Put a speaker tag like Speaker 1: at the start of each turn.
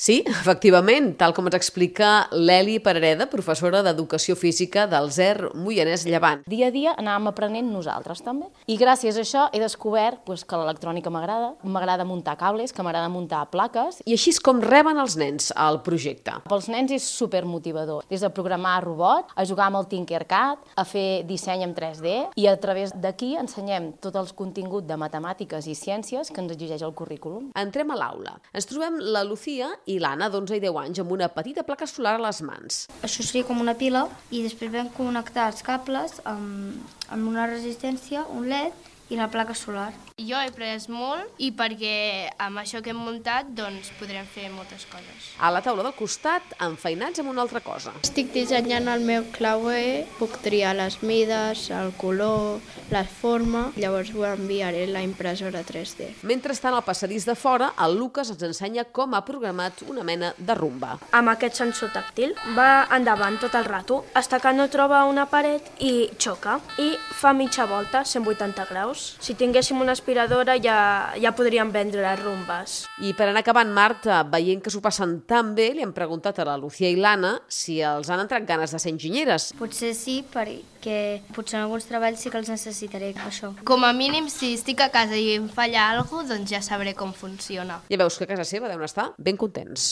Speaker 1: Sí, efectivament, tal com ens explica l'Eli Parareda, professora d'Educació Física del ZER Moianès Llevant.
Speaker 2: Dia a dia anàvem aprenent nosaltres també. I gràcies a això he descobert que l'electrònica m'agrada muntar cables, que m'agrada muntar plaques.
Speaker 1: I així és com reben els nens el projecte.
Speaker 2: Pels nens és supermotivador, des de programar robot, a jugar amb el Tinkercad, a fer disseny en 3D, i a través d'aquí ensenyem tot el contingut de matemàtiques i ciències que ens exigeix el currículum.
Speaker 1: Entrem a l'aula. Ens trobem la Lucía i l'Anna, d'11 i 10 anys, amb una petita placa solar a les mans.
Speaker 3: Això seria com una pila i després vam connectar els cables amb una resistència, un LED i la placa solar.
Speaker 4: Jo he après molt i perquè amb això que hem muntat doncs podrem fer moltes coses.
Speaker 1: A la taula del costat, enfeinats amb una altra cosa.
Speaker 5: Estic dissenyant el meu clauer, puc triar les mides, el color, la forma, llavors ho enviaré a la impressora 3D.
Speaker 1: Mentrestant, al passadís de fora, el Lucas ens ensenya com ha programat una mena de rumba.
Speaker 6: Amb aquest sensor tàctil va endavant tot el rato, fins que no troba una paret i xoca, i fa mitja volta, 180 graus. Si tinguéssim una aspiradora ja podríem vendre les rumbes.
Speaker 1: I per anar acabant, Marta, veient que s'ho passen tan bé, li hem preguntat a la Lucía i l'Anna si els han entrat ganes de ser enginyeres.
Speaker 3: Potser sí, perquè potser en alguns treballs sí que els necessitaré, això.
Speaker 4: Com a mínim, si estic a casa i em falla alguna cosa, doncs ja sabré com funciona.
Speaker 1: Ja veus que a casa seva deuen estar ben contents.